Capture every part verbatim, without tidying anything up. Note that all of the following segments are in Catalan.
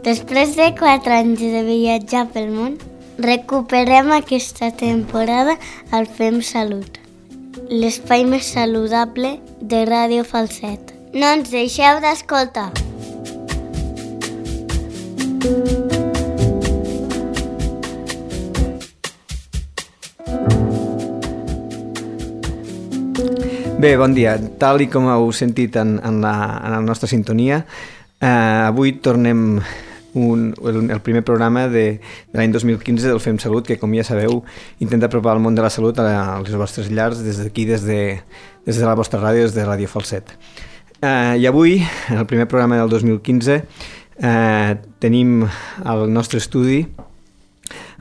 Després de quatre anys de viatjar pel món, recuperem aquesta temporada al Fem Salut, l'espai més saludable de Ràdio Falset. No ens deixeu d'escoltar! Bé, bon dia. Tal i com heu sentit en, en, la, en la nostra sintonia, eh, avui tornem un, el, el primer programa de, de l'any dos mil quinze del Fem Salut, que, com ja sabeu, intenta apropar el món de la salut a, a les vostres llars des d'aquí, des de, des de la vostra ràdio, des de Ràdio Falset. Eh, I avui, en el primer programa del dos mil quinze, eh, tenim al nostre estudi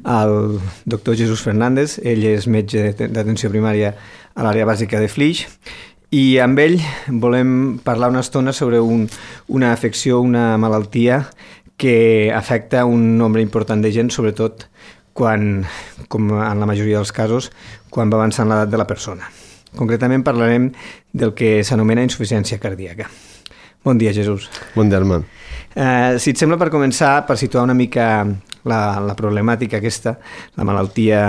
el doctor Jesús Fernández. Ell és metge d'atenció primària a l'àrea bàsica de Flix, i amb ell volem parlar una estona sobre un, una afecció, una malaltia que afecta un nombre important de gent, sobretot quan, com en la majoria dels casos, quan va avançant l'edat de la persona. Concretament parlarem del que s'anomena insuficiència cardíaca. Bon dia, Jesús. Bon dia, Armand. Eh, si et sembla, per començar, per situar una mica la, la problemàtica aquesta, la malaltia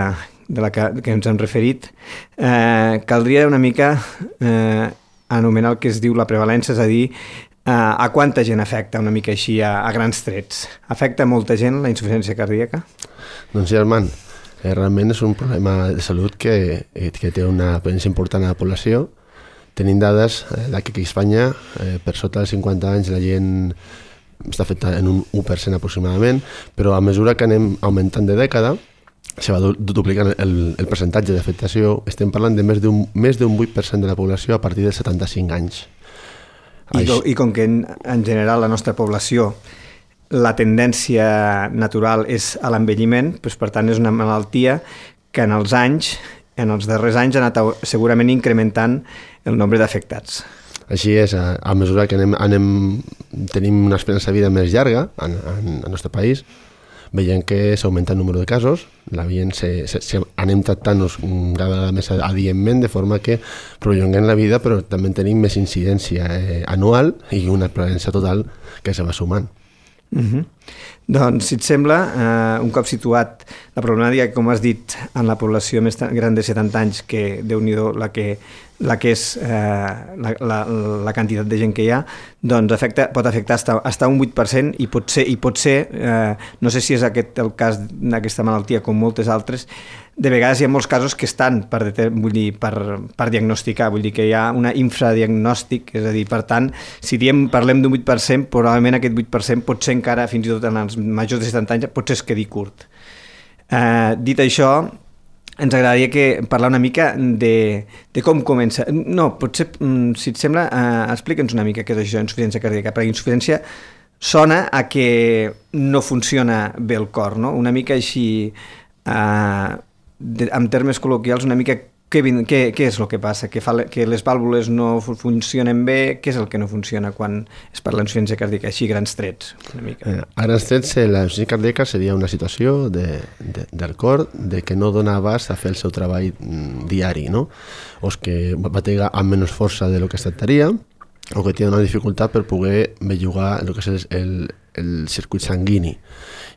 de la que, que ens hem referit, eh, caldria una mica eh, anomenar el que es diu la prevalència, és a dir, eh, a quanta gent afecta, una mica així, a, a grans trets. Afecta molta gent la insuficiència cardíaca? Doncs sí, Armand, eh, realment és un problema de salut que, que té una presència important a la població. Tenim dades eh, que a Espanya, eh, per sota dels cinquanta anys, la gent està afectada en un u per cent aproximadament, però a mesura que anem augmentant de dècada, se va duplicant el, el percentatge d'afectació. Estem parlant de més d'un més d'un vuit per cent de la població a partir dels setanta-cinc anys. I, do, I com que en, en general la nostra població, la tendència natural és a l'envelliment, doncs per tant és una malaltia que en els anys, en els darrers anys ha anat segurament incrementant el nombre d'afectats. Així és, a, a mesura que anem, anem, tenim una esperança de vida més llarga en, en, en el nostre país, veiem que s'augmenta el número de casos, la veiem, se, se, se, anem tractant-nos cada vegada més adientment, de forma que prolonguem la vida, però també tenim més incidència eh, anual i una prevalença total que se va sumant. Uh-huh. Doncs, si et sembla, eh, un cop situat la problemàtica, com has dit, en la població més gran de setanta anys, que Déu-n'hi-do la que, la que és eh, la, la, la quantitat de gent que hi ha, doncs afecta, pot afectar hasta, hasta un vuit per cent, i pot ser, i pot ser eh, no sé si és aquest el cas d'aquesta malaltia com moltes altres. De vegades hi ha molts casos que estan per, vull dir, per, per diagnosticar, vull dir que hi ha una infradiagnòstic, és a dir, per tant, si diem, parlem d'un vuit per cent, probablement aquest vuit per cent pot ser encara, fins i tot en els majors de setanta anys, potser es quedi curt. Eh, dit això, ens agradaria que parlar una mica de, de com comença. No, potser, si et sembla, eh, explica'ns una mica què és això, insuficiència cardíaca, perquè insuficiència sona a que no funciona bé el cor, no? Una mica així... Eh, De, en termes col·loquials, una mica què, què, què és el que passa? Que, fa, que les vàlvules no funcionen bé? Què és el que no funciona quan es parla d'insuficiència cardíaca? Així, grans trets, una mica. Eh, a grans trets, la insuficiència cardíaca seria una situació de, de, del cor de que no dona abast a fer el seu treball mm, diari, no? O que batega amb menys força de lo que es tractaria, o que té una dificultat per poder bellugar el que és el, el circuit sanguini.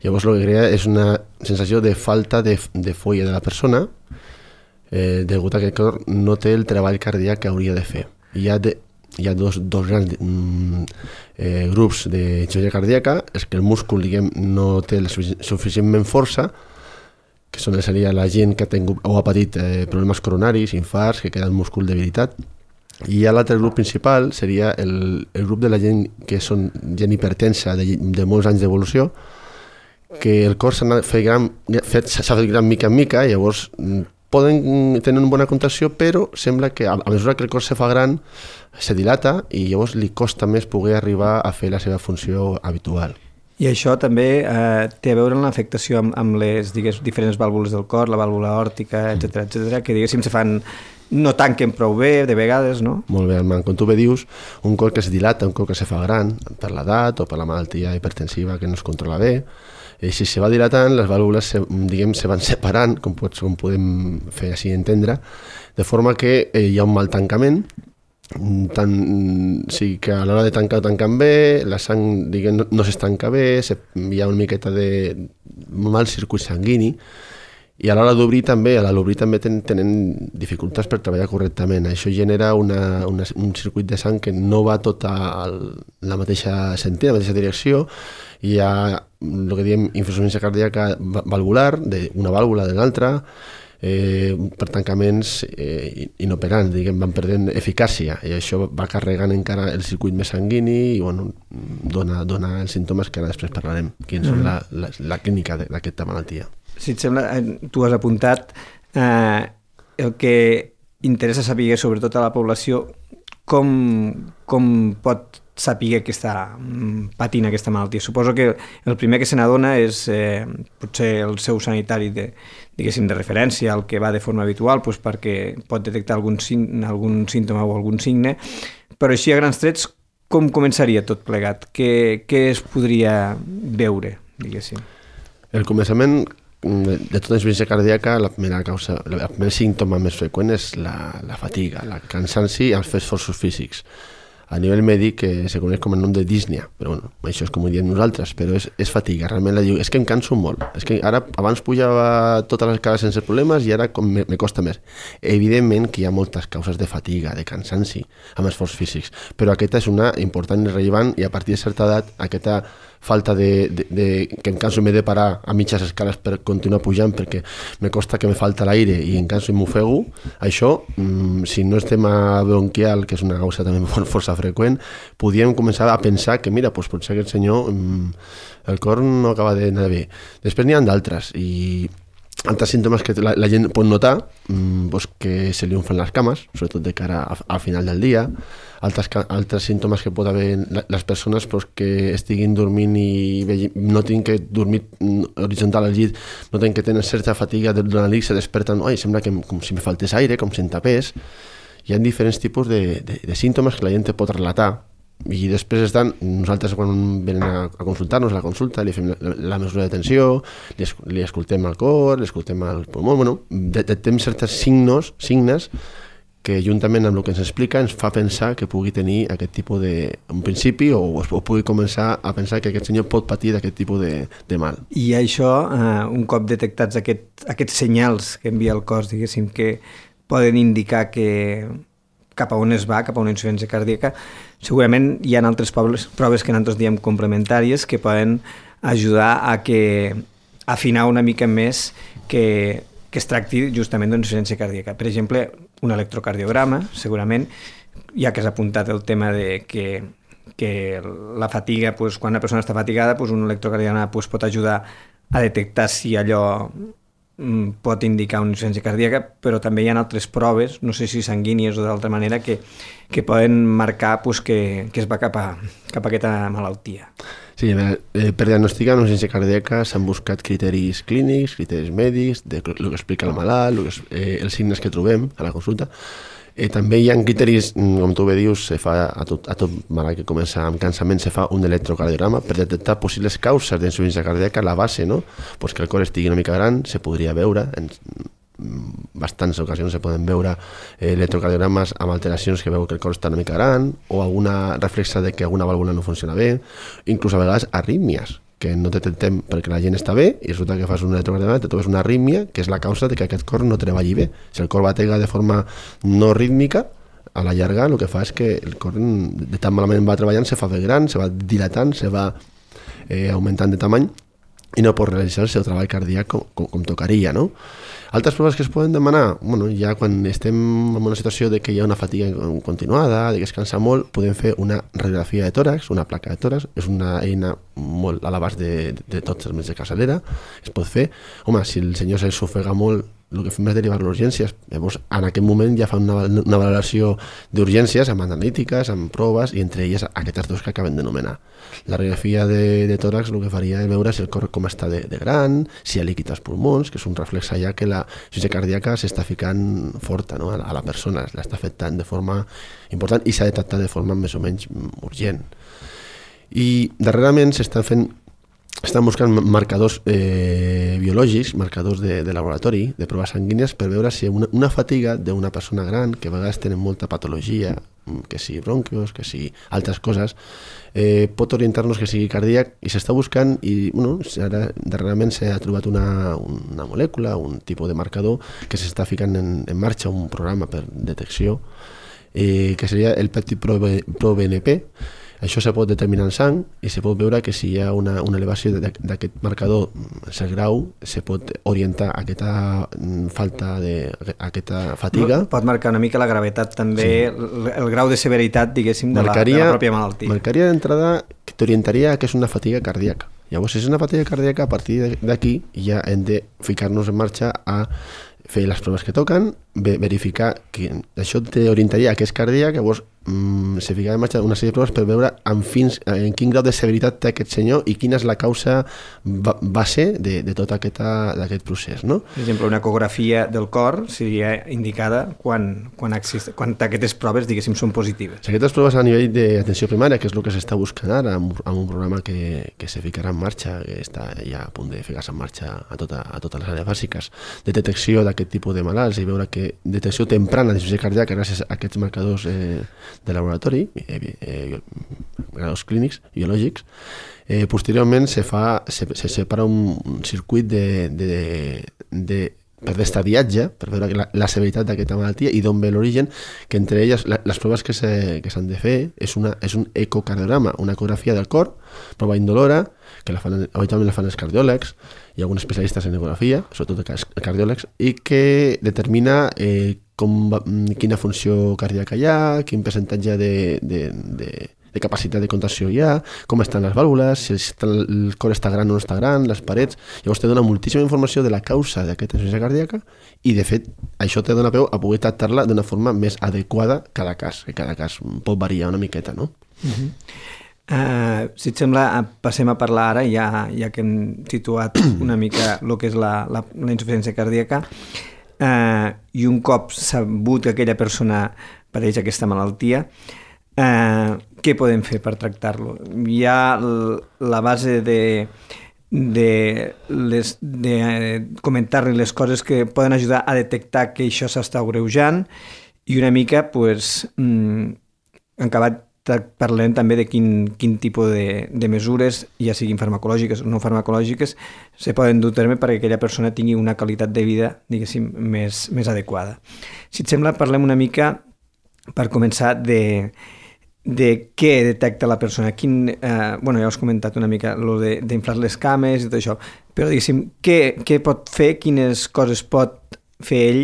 Llavors el que crea és una sensació de falta de, de folla de la persona, eh, degut a que el cor no té el treball cardíac que hauria de fer. Hi ha, de, hi ha dos, dos grans mm, eh, grups d'insuficiència cardíaca, és que el múscul, diguem, no té la suficientment força, que són, seria la gent que ha tingut o ha patit eh, problemes coronaris, infarts, que queda el múscul debilitat. I hi ha l'altre grup principal, seria el, el grup de la gent que són gent hipertensa de, de molts anys d'evolució, que el cor s'ha fet gran, fet, s'ha fet gran mica en mica, i llavors poden tenir una bona contracció, però sembla que a, a mesura que el cor se fa gran, se dilata i llavors li costa més poder arribar a fer la seva funció habitual. I això també eh, té a veure amb l'afectació amb, amb les digues, diferents vàlvules del cor, la vàlvula aòrtica, etcètera, etcètera, que diguéssim se fan, no tanquen prou bé de vegades, no? Molt bé, Armand. Com tu bé dius, un cor que es dilata, un cor que se fa gran per l'edat o per la malaltia hipertensiva que no es controla bé, i si se va dilatant, les vàlvules se, diguem, se van separant, com, pots, com podem fer així entendre, de forma que eh, hi ha un mal tancament tant, sí que a l'hora de tancar tanquen bé, la sang diguem, no, no s'estanca bé, se, hi ha una miqueta de mal circuit sanguini, i a l'hora d'obrir també, a l'obrir també ten, tenen dificultats per treballar correctament. Això genera una, una, un circuit de sang que no va tota el, la mateixa sentit, la mateixa direcció. Hi ha el que diem insuficiència cardíaca valvular, d'una vàlvula de l'altra, eh, per tancaments eh, inoperants, diguem, van perdent eficàcia, i això va carregant encara el circuit més sanguini i bueno, dona, dona els símptomes que ara després parlarem, quins mm. són la, la, la clínica d'aquesta malaltia. Si et sembla, tu has apuntat eh, el que interessa saber sobretot a la població com, com pot saber que està patint aquesta malaltia. Suposo que el primer que se n'adona és eh, potser el seu sanitari de, diguéssim, de referència, el que va de forma habitual, doncs perquè pot detectar algun, algun símptoma o algun signe, però així a grans trets com començaria tot plegat? Què, què es podria veure, diguéssim? El començament de tota insuficiència cardíaca, la primera causa, el primer símptoma més freqüent és la, la fatiga, la cansanci i els esforços físics. A nivell mèdic eh, se coneix com el nom de dísnia, però bueno, això és com ho diem nosaltres, però és, és fatiga, realment la diu, és que em canso molt, és que ara abans pujava totes les cases sense problemes i ara com me, me costa més. Evidentment que hi ha moltes causes de fatiga, de cansanci, amb esforços físics, però aquesta és una important i rellevant i a partir de certa edat aquesta falta de, de, de que em canso i m'he de parar a mitges escales per continuar pujant perquè me costa que me falta l'aire i em canso i m'ofego, això, mmm, si no és tema bronquial, que és una causa també força freqüent, podríem començar a pensar que mira, doncs potser aquest senyor mmm, el cor no acaba d'anar bé. Després n'hi ha d'altres i altres símptomes que la, la gent pot notar, mmm, doncs que se li unfen les cames, sobretot de cara a, al final del dia, altres, altres símptomes que pot haver les persones doncs, que estiguin dormint i no tenen que dormir horitzontal al llit, no tenen que tenir certa fatiga durant el nit, se desperten, oi, sembla que com si me faltés aire, com si em tapés. Hi ha diferents tipus de, de, de símptomes que la gent pot relatar i després estan, nosaltres quan venen a, a consultar-nos a la consulta li fem la, la mesura de tensió, li, li escoltem el cor, li escoltem el pulmó, bueno, detectem certs signos, signes que juntament amb el que ens explica ens fa pensar que pugui tenir aquest tipus de, un principi o, o pugui començar a pensar que aquest senyor pot patir d'aquest tipus de, de mal. I això, eh, un cop detectats aquest, aquests senyals que envia el cos, diguéssim, que poden indicar que cap a on es va, cap a una insuficiència cardíaca, segurament hi ha altres proves, proves que nosaltres diem complementàries que poden ajudar a que afinar una mica més que, que es tracti justament d'una insuficiència cardíaca. Per exemple, un electrocardiograma, segurament, ja que has apuntat el tema de que, que la fatiga, doncs, quan una persona està fatigada, doncs un electrocardiograma doncs, pot ajudar a detectar si allò pot indicar una insuficiència cardíaca, però també hi ha altres proves, no sé si sanguínies o d'altra manera, que, que poden marcar pues, que, que es va cap a, cap a aquesta malaltia. Sí, eh, per diagnosticar una insuficiència cardíaca s'han buscat criteris clínics, criteris mèdics, de el que explica el malalt, el que, eh, els signes que trobem a la consulta. Eh, també hi ha criteris, com tu bé dius, se fa a tot, a tot malalt que comença amb cansament, se fa un electrocardiograma per detectar possibles causes d'insuficiència cardíaca a la base, no? Pues que el cor estigui una mica gran, se podria veure, en bastantes ocasions se poden veure eh, electrocardiogrames amb alteracions que veu que el cor està una mica gran o alguna reflexa de que alguna vàlvula no funciona bé, inclús a vegades arrítmies, que no detectem perquè la gent està bé i resulta que fas un electrocardiograma i te trobes una arrítmia que és la causa de que aquest cor no treballi bé. Si el cor batega de forma no rítmica, a la llarga el que fa és que el cor de tan malament va treballant se fa bé gran, se va dilatant, se va eh, augmentant de tamany i no pot realitzar el seu treball cardíac com, com, com tocaria, no? Altres proves que es poden demanar, bueno, ja quan estem en una situació de que hi ha una fatiga continuada, de que es cansa molt, podem fer una radiografia de tòrax, una placa de tòrax, és una eina molt a l'abast de, de, de tots els metges de capçalera, es pot fer. Home, si el senyor s'ofega molt, el que fem és derivar-lo a urgències. Llavors, en aquest moment ja fa una, una valoració d'urgències amb analítiques, amb proves, i entre elles aquestes dos que acabem de nomenar. La radiografia de, de tòrax el que faria és veure si el cor com està de, de gran, si hi ha líquid als pulmons, que és un reflex ja que la insuficiència cardíaca s'està ficant forta, no? a, la, a la persona, l'està afectant de forma important i s'ha detectat de forma més o menys urgent. I darrerament s'estan fent estan buscant marcadors eh, biològics, marcadors de, de laboratori, de proves sanguínies, per veure si una, una fatiga d'una persona gran, que a vegades tenen molta patologia, que sigui bronquios, que sigui altres coses, eh, pot orientar-nos que sigui cardíac, i s'està buscant, i bueno, ara darrerament s'ha trobat una, una molècula, un tipus de marcador que s'està ficant en, en marxa un programa per detecció, eh, que seria el Peptid Pro, Pro B N P. Això se pot determinar en sang i se pot veure que si hi ha una, una elevació d'aquest marcador, el grau, se pot orientar a aquesta falta de, a aquesta fatiga. Pot marcar una mica la gravetat també, sí. el, el grau de severitat, diguéssim, de, marcaria, la, de la pròpia malaltia. Marcaria d'entrada que t'orientaria que és una fatiga cardíaca. Llavors, si és una fatiga cardíaca, a partir d'aquí ja hem de ficar-nos en marxa a fer les proves que toquen, verificar que això t'orientaria a que és cardíac, llavors mm, se ficarà en marxa una sèrie de proves per veure en, fins, en quin grau de severitat té aquest senyor i quina és la causa base de, de tot aquest, aquest procés. No? Per exemple, una ecografia del cor seria indicada quan, quan, existe, quan aquestes proves, diguéssim, són positives. Si aquestes proves a nivell d'atenció primària, que és el que s'està buscant ara, amb, amb un programa que, que se ficarà en marxa, que està ja a punt de ficar-se en marxa a, tota, a totes les àrees bàsiques, de detecció d'aquest tipus de malalts i veure que detecció temprana d'insuficiència cardíaca gràcies a aquests marcadors eh, de laboratori, eh, eh, marcadors clínics, biològics. Eh, posteriorment se, fa, se, se separa un, un circuit de, de, de, per d'estadiatge, per veure la, la severitat d'aquesta malaltia i d'on ve l'origen, que entre elles la, les proves que s'han que de fer és, una, és un ecocardiograma, una ecografia del cor, prova indolora, que la fan, habitualment la fan els cardiòlegs, hi ha alguns especialistes en ecografia, sobretot els cardiòlegs, i que determina eh, com va, quina funció cardíaca hi ha, quin percentatge de, de, de, de capacitat de contracció hi ha, com estan les vàlvules, si el cor està gran o no està gran, les parets. Llavors te dona moltíssima informació de la causa d'aquesta insuficiència cardíaca i, de fet, això te dona peu a poder tractar-la d'una forma més adequada cada cas, que cada cas pot variar una miqueta, no? Uh-huh. Uh, si et sembla, passem a parlar ara, ja, ja que hem situat una mica el que és la, la, la insuficiència cardíaca, uh, i un cop sabut que aquella persona pateix aquesta malaltia, uh, què podem fer per tractar-lo? Hi ha la base de, de, les, de comentar-li les coses que poden ajudar a detectar que això s'està agreujant i una mica, pues, mm, en acabat parlem també de quin, quin tipus de, de mesures, ja siguin farmacològiques o no farmacològiques, se poden dur a terme perquè aquella persona tingui una qualitat de vida, diguéssim, més, més adequada. Si et sembla, parlem una mica, per començar, de, de què detecta la persona. Quin, eh, bueno, ja us he comentat una mica lo de, d'inflar les cames i tot això, però diguéssim, què, què pot fer, quines coses pot fer ell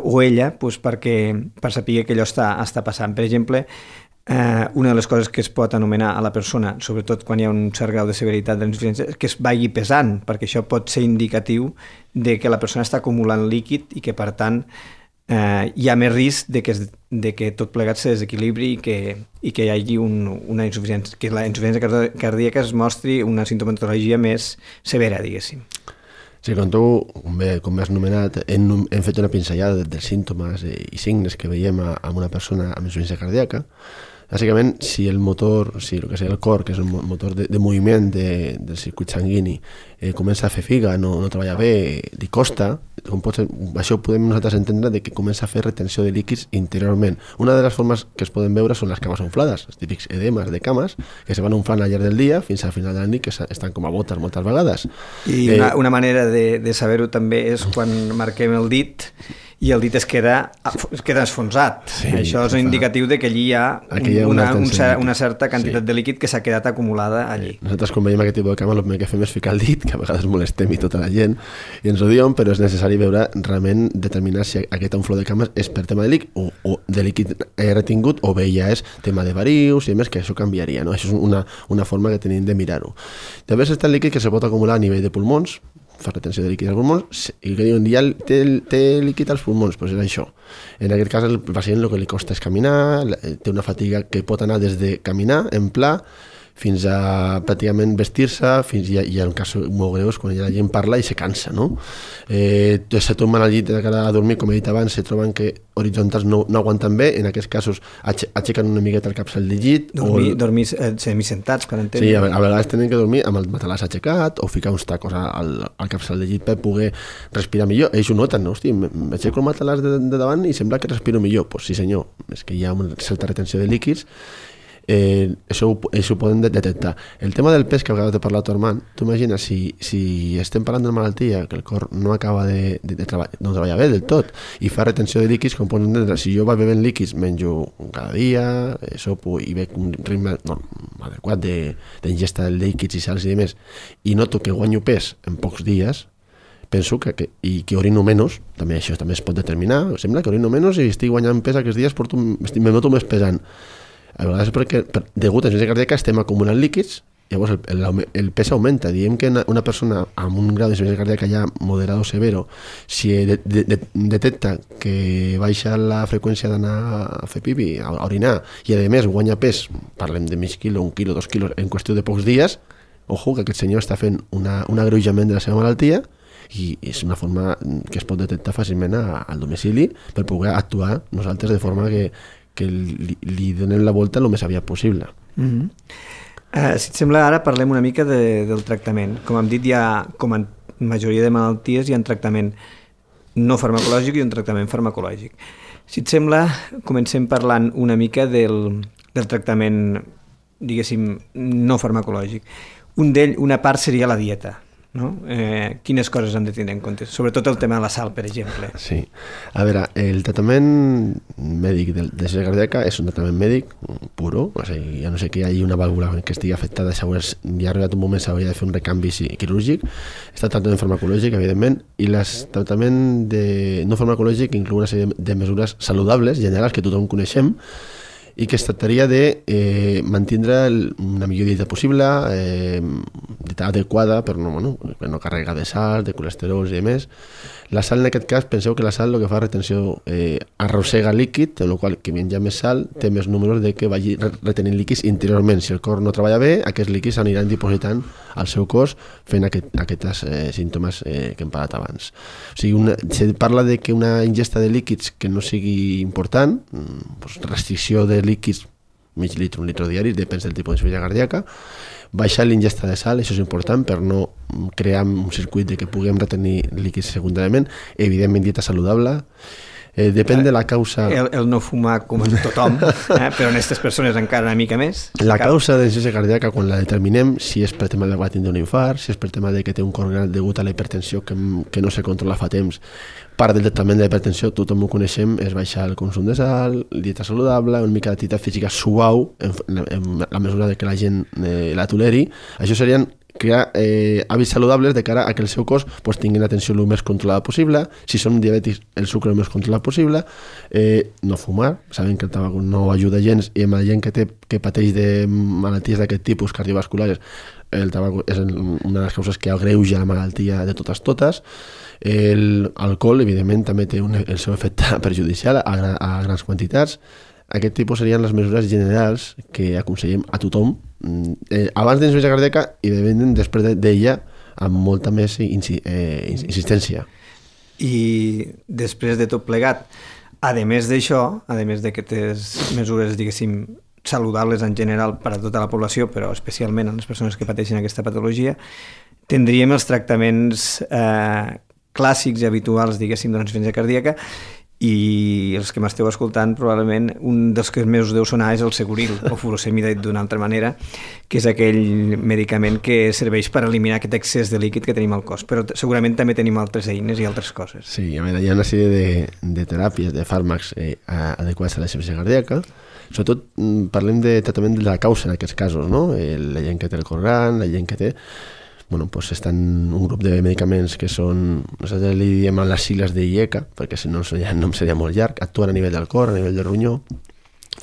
o ella pues, perquè, per saber que allò està, està passant. Per exemple, Uh, una de les coses que es pot anomenar a la persona, sobretot quan hi ha un cert grau de severitat de l'insuficiència, és que es vagi pesant, perquè això pot ser indicatiu de que la persona està acumulant líquid i que, per tant, uh, hi ha més risc de que, es, de que tot plegat se desequilibri i que, i que hi hagi un, una insuficiència, que la insuficiència cardíaca es mostri una sintomatologia més severa, diguéssim. Sí, com tu, com bé, com has anomenat, hem, hem fet una pinzellada dels símptomes i signes que veiem a, a una persona amb insuficiència cardíaca. Bàsicament, si el motor, si el que sigui el cor, que és un motor de, de moviment de, del circuit sanguini, eh, comença a fer figa, no, no treballa bé, li costa, com pot ser, això podem nosaltres entendre de que comença a fer retenció de líquids interiorment. Una de les formes que es poden veure són les cames inflades, els típics edemes de cames, que se van inflant al llarg del dia fins al final de la nit, que estan com a botes moltes vegades. I una, eh, una manera de, de saber-ho també és quan marquem el dit i el dit es queda, es queda esfonsat. Sí, això és un indicatiu de que allí hi ha, hi ha una, un cer una certa quantitat sí. de líquid que s'ha quedat acumulada allí. Nosaltres quan veiem aquest tipus de cama el primer que fem és ficar el dit, que a vegades molestem i tota la gent, i ens ho diuen, però és necessari veure realment determinar si aquest influx de cames és per tema de líquid o, o de líquid retingut o bé ja és tema de varius i més, que això canviaria, no? Això és una, una forma que tenim de mirar-ho. També està el líquid que se pot acumular a nivell de pulmons, fa retenció de líquid als pulmons, i que diuen, ja té, té líquid als pulmons, doncs és això. En aquest cas, el pacient el que li costa és caminar, té una fatiga que pot anar des de caminar en pla fins a pràcticament vestir-se, fins i ha, hi ha un cas molt greu quan la gent parla i se cansa, no? Eh, se tomben al llit de cara a dormir, com he dit abans, se troben que horitzontals no, no aguanten bé, en aquest casos aixequen aixequen una miqueta el capçal del llit. Dormir, o... dormir eh, semisentats, per entendre. Sí, a, a vegades tenen que dormir amb el matalàs aixecat o ficar uns tacos al, al capçal del llit per poder respirar millor. Ells ho noten, no? Hosti, m'aixeco el matalàs de, de davant i sembla que respiro millor. Pues sí, senyor, és que hi ha una certa retenció de líquids. Eh, això, ho, això ho podem detectar. El tema del pes que a vegades te parlat Armand, tu imagines si, si estem parlant d'una malaltia que el cor no acaba de, de, de treballar, no treballa bé del tot i fa retenció de líquids, com pots entendre, si jo vaig bevent líquids, menjo cada dia, eh, sopo i veig un ritme no, adequat d'ingesta de, de líquids i sals i demés, i noto que guanyo pes en pocs dies, penso que, que, i que orino menys, també això també es pot determinar, sembla que orino menys i estic guanyant pes aquests dies, porto, me noto més pesant. A vegades perquè, per, degut a insuficiència cardíaca, estem acumulant líquids, llavors el, el, el pes augmenta. Diem que una persona amb un grau d'insuficiència cardíaca ja moderado o severo, si de, de, de, detecta que baixa la freqüència d'anar a fer pipi, a, a orinar, i a més guanya pes, parlem de mig quilo, un quilo, dos quilos, en qüestió de pocs dies, ojo, que aquest senyor està fent una, un agreujament de la seva malaltia, i és una forma que es pot detectar fàcilment a, al domicili per poder actuar nosaltres de forma que que li, li donem la volta el més aviat possible. Mm-hmm. uh, si et sembla, ara parlem una mica de, del tractament. Com hem dit, hi ha, com en majoria de malalties, hi ha un tractament no farmacològic i un tractament farmacològic. Si et sembla, comencem parlant una mica del, del tractament, diguéssim, no farmacològic. Un d'ell, una part seria la dieta. No? Eh, quines coses hem de tenir en compte? Sobretot el tema de la sal, per exemple. Sí. A veure, el tractament mèdic de l'insuficiència cardíaca és un tractament mèdic puro, o sigui, ja no sé que hi hagi una vàlvula que estigui afectada, segons ja ha arribat un moment s'hauria de fer un recanvi quirúrgic. Està el tractament farmacològic, evidentment, i el tractament de no farmacològic inclou una sèrie de mesures saludables, generals, que tothom coneixem, i que es tractaria de eh, mantindre una millor dieta possible, eh, dieta adequada per no, bueno, per no carregar de sal, de colesterols i demés. La sal, en aquest cas, penseu que la sal el que fa retenció eh, arrossega líquid, en el qual qui menja més sal té més números de que vagi retenint líquids interiorment. Si el cor no treballa bé, aquests líquids s'aniran dipositant al seu cos fent aquest, aquests eh, símptomes eh, que hem parlat abans. O sigui, una, se parla de que una ingesta de líquids que no sigui important, doncs restricció de líquids, mig litre, un litre diari, depèn del tipus d'insuficiència cardíaca, baixar l'ingesta de sal, això és important per no crear un circuit de que puguem retenir líquids secundàriament, evidentment dieta saludable, eh, depèn de la causa... El, el no fumar com tothom, eh? Però en aquestes persones encara una mica més. La causa d'insuficiència cardíaca, quan la determinem, si és per tema de que va tindre un infart, si és per tema de que té un cor gran degut a la hipertensió que, que no se controla fa temps, part del tractament de la hipertensió, tothom ho coneixem, és baixar el consum de sal, dieta saludable, una mica d'activitat física suau, en, en la mesura de que la gent eh, la toleri. Això serien crear eh, hàbits saludables de cara a que el seu cos pues, tingui una tensió el més controlada possible. Si són diabètics, el sucre el més controlat possible. Eh, no fumar, sabem que el tabac no ajuda gens, i amb la gent que, té, que pateix de malalties d'aquest tipus cardiovasculares, el tabac és una de les causes que agreuja la malaltia de totes totes. L'alcohol, evidentment, també té un, el seu efecte perjudicial a, a grans quantitats. Aquest tipus serien les mesures generals que aconsellem a tothom, eh, abans d'insuficiència cardíaca i després d'ella, amb molta més insi, eh, insistència. I després de tot plegat, a més d'això, a més d'aquestes mesures, diguéssim, saludables en general per a tota la població, però especialment a les persones que pateixen aquesta patologia, tindríem els tractaments eh, clàssics i habituals, diguéssim, de la insuficiència cardíaca, i els que m'esteu escoltant probablement un dels que més us deu sonar és el Seguril o furosemida d'una altra manera, que és aquell medicament que serveix per eliminar aquest excés de líquid que tenim al cos, però segurament també tenim altres eines i altres coses. Sí, a veure, hi ha una sèrie de, de teràpies, de fàrmacs eh, adequats a la insuficiència cardíaca. Sobretot parlem de tractament de la causa en aquests casos, no? La gent que té el cor gran, la gent que té... Bueno, pues estan un grup de medicaments que són, nosaltres li diem a les sigles de I E C A, perquè si no el nom seria molt llarg, actuen a nivell del cor, a nivell del ronyó,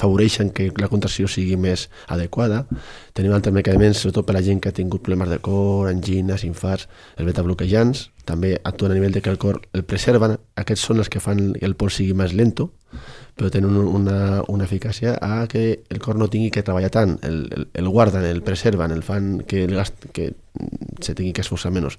afavoreixen que la contracció sigui més adequada. Tenim altres medicaments, sobretot per a la gent que ha tingut problemes de cor, angines, infarts, els betabloquejants, també actuen a nivell de que el cor el preserven. Aquests són els que fan que el pols sigui més lento, però tenen una, una eficàcia a que el cor no tingui que treballar tant, el, el, el guarden, el preserven, el fan que el gast, que se tingui que esforçar menys.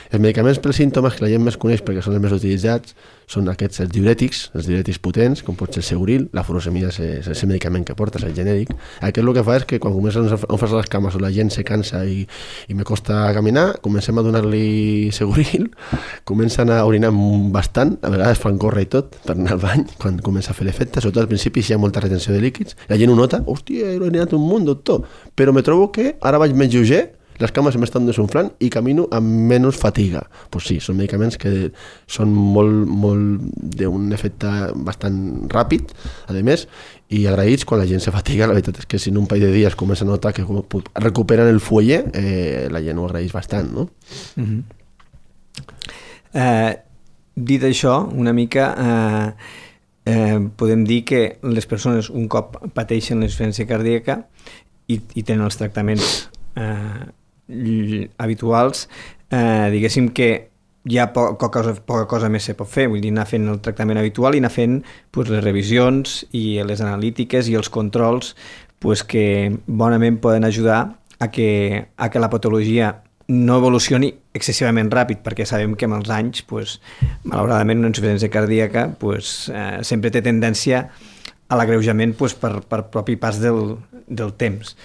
Els medicaments pels símptomes que la gent més coneix perquè són els més utilitzats són aquests, els diurètics, els diurètics potents, com pot ser el Seguril, la furosemida és, és el medicament que portes, el genèric. Aquest el que fa és que quan comencen a fer les cames o la gent se cansa i, i me costa caminar, comencem a donar-li Seguril, comencen a orinar bastant, a vegades fan córrer i tot per anar al bany, quan comença a fer l'efecte, sobretot al principi si hi ha molta retenció de líquids, la gent ho nota, hòstia, he orinat un munt, doctor, però me trobo que ara vaig més lleuger, les cames m'estan desunflant i camino amb menys fatiga. Pues sí, són medicaments que són molt, molt d'un efecte bastant ràpid, a més, i agraïts quan la gent se fatiga. La veritat és que si en un parell de dies comença a notar que recuperen el fuelle, eh, la gent ho agraeix bastant, no? Mm-hmm. eh, dit això, una mica eh, eh, podem dir que les persones un cop pateixen la insuficiència cardíaca i, i tenen els tractaments eh, habituals, eh, diguéssim que hi ha poca cosa, poca cosa més se pot fer, vull dir, anar fent el tractament habitual i anar fent pues, les revisions i les analítiques i els controls pues, que bonament poden ajudar a que, a que la patologia no evolucioni excessivament ràpid, perquè sabem que amb els anys, pues, malauradament, una insuficiència cardíaca pues, eh, sempre té tendència a l'agreujament pues, per, per propi pas del, del temps.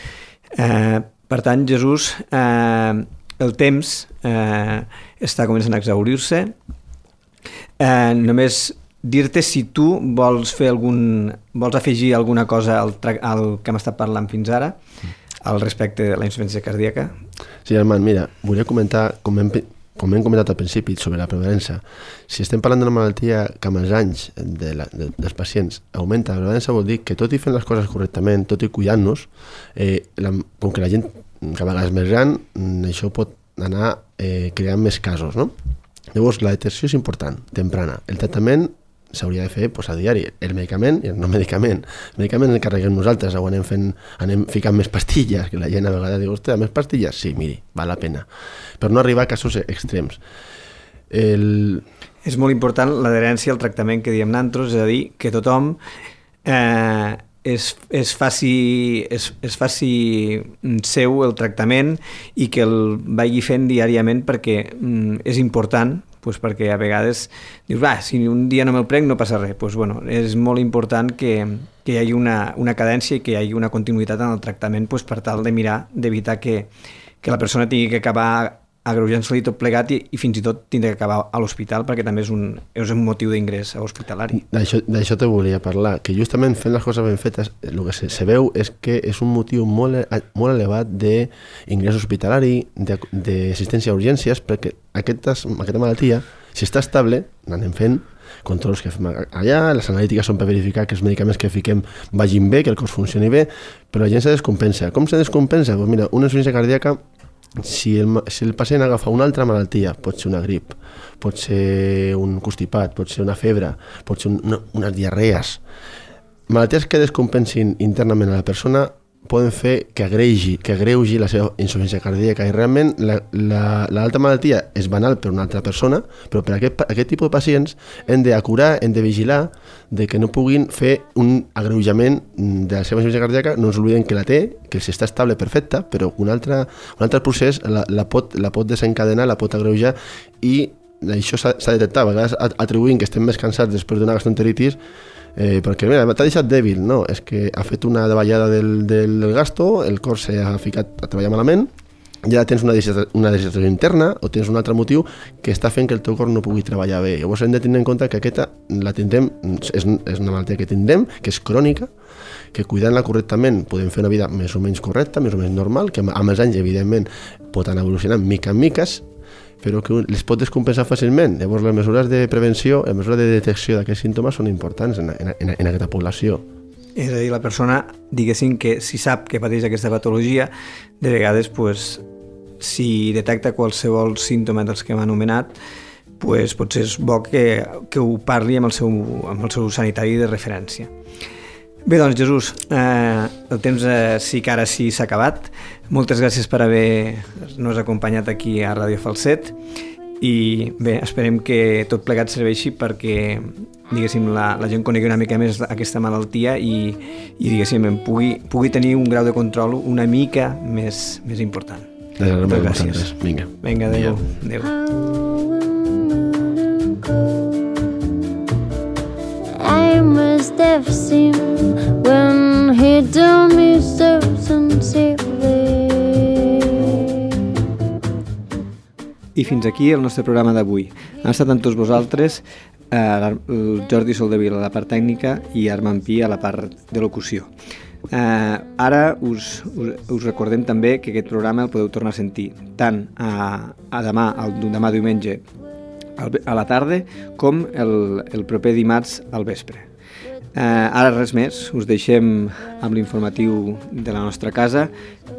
Eh, Per tant, Jesús, eh, el temps eh, està començant a exaurir-se. Eh, només dir-te si tu vols fer algun, vols afegir alguna cosa al, tra- al que hem estat parlant fins ara, al respecte de la insuficiència cardíaca. Sí, Armand, mira, volia comentar, com hem, com hem comentat al principi, sobre la prevalença. Si estem parlant d'una malaltia que amb els anys de la, de, dels pacients augmenta, la prevalença vol dir que tot i fent les coses correctament, tot i cuidant-nos, eh, la, com que la gent cada vegada és més gran, això pot anar eh, creant més casos, no? Llavors, la detecció és important, temprana. El tractament s'hauria de fer pues, a diari. El medicament i el no medicament. El medicament el carreguem nosaltres, o anem, fent, anem ficant més pastilles, que la gent a vegades diu, ostres, més pastilles? Sí, miri, val la pena. Però no arribar a casos extrems. El... És molt important l'adherència al tractament que diem nosaltres, és a dir, que tothom eh, es, es, faci, es, es faci seu el tractament i que el vagi fent diàriament perquè mm, és important, pues perquè a vegades dius, ah, si un dia no me'l prenc no passa res. Pues, bueno, és molt important que, que hi hagi una, una cadència i que hi hagi una continuïtat en el tractament pues, per tal de mirar, d'evitar que, que la persona tingui que acabar agreujant-se-li tot plegat i, i fins i tot tindre que acabar a l'hospital perquè també és un, és un motiu d'ingrés hospitalari. D'això, d'això te volia parlar, que justament fent les coses ben fetes el que se, se veu és que és un motiu molt, molt elevat d'ingrés hospitalari, d'assistència a urgències, perquè aquestes, aquesta malaltia, si està estable, anem fent controls que fem allà, les analítiques són per verificar que els medicaments que fiquem vagin bé, que el cos funcioni bé, però la gent se descompensa. Com se descompensa? Pues mira, una insuficiència cardíaca, si el, si el pacient agafa una altra malaltia, pot ser una grip, pot ser un constipat, pot ser una febre, pot ser un, una, unes diarrees, malalties que descompensin internament a la persona poden fer que agreugi, que agreugi la seva insuficiència cardíaca i realment la, la, l'altra malaltia és banal per una altra persona, però per aquest, aquest tipus de pacients hem d'acurar, hem de vigilar de que no puguin fer un agreujament de la seva insuficiència cardíaca. No ens oblidem que la té, que si està estable perfecta, però un altre, un altre procés la, la, pot, la pot desencadenar, la pot agreujar i això s'ha, s'ha detectat, a vegades atribuint que estem més cansats després d'una gastroenteritis. Eh, perquè mira, t'ha deixat dèbil, no, és que ha fet una davallada del, del gasto, el cor s'ha ficat a treballar malament, ja tens una deshidratació interna o tens un altre motiu que està fent que el teu cor no pugui treballar bé. Llavors hem de tenir en compte que aquesta la tindrem, és, és una malaltia que tindrem, que és crònica, que cuidant-la correctament podem fer una vida més o menys correcta, més o menys normal, que amb els anys evidentment pot anar evolucionant mica en miques, però que les pot descompensar fàcilment. Llavors les mesures de prevenció, les mesures de detecció d'aquests símptomes són importants en, en, en, en aquesta població. És a dir, la persona, diguéssim que si sap que pateix aquesta patologia, de vegades, pues, si detecta qualsevol símptoma dels que hem anomenat, pues, potser és bo que, que ho parli amb el, seu, amb el seu sanitari de referència. Bé, doncs, Jesús, eh, el temps eh, sí que ara sí s'ha acabat. Moltes gràcies per haver-nos acompanyat aquí a Ràdio Falset i bé, esperem que tot plegat serveixi perquè, diguéssim, la, la gent conegui una mica més aquesta malaltia i, i diguéssim, pugui, pugui tenir un grau de control una mica més, més important. Moltes gràcies. Vinga. Vinga, adéu. Adéu. I must have seen when he told me so sincerely. I fins aquí el nostre programa d'avui. Han estat amb tots vosaltres eh, el Jordi Soldevila a la part tècnica i Armand Pi a la part de locució. Eh, ara us, us, us recordem també que aquest programa el podeu tornar a sentir tant a, a demà, el, demà diumenge a la tarda com el, el proper dimarts al vespre. Eh, ara res més, us deixem amb l'informatiu de la nostra casa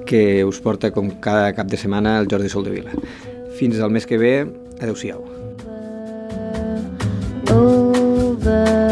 que us porta com cada cap de setmana el Jordi Soldevila. Fins al mes que ve, adeu-siau. Over.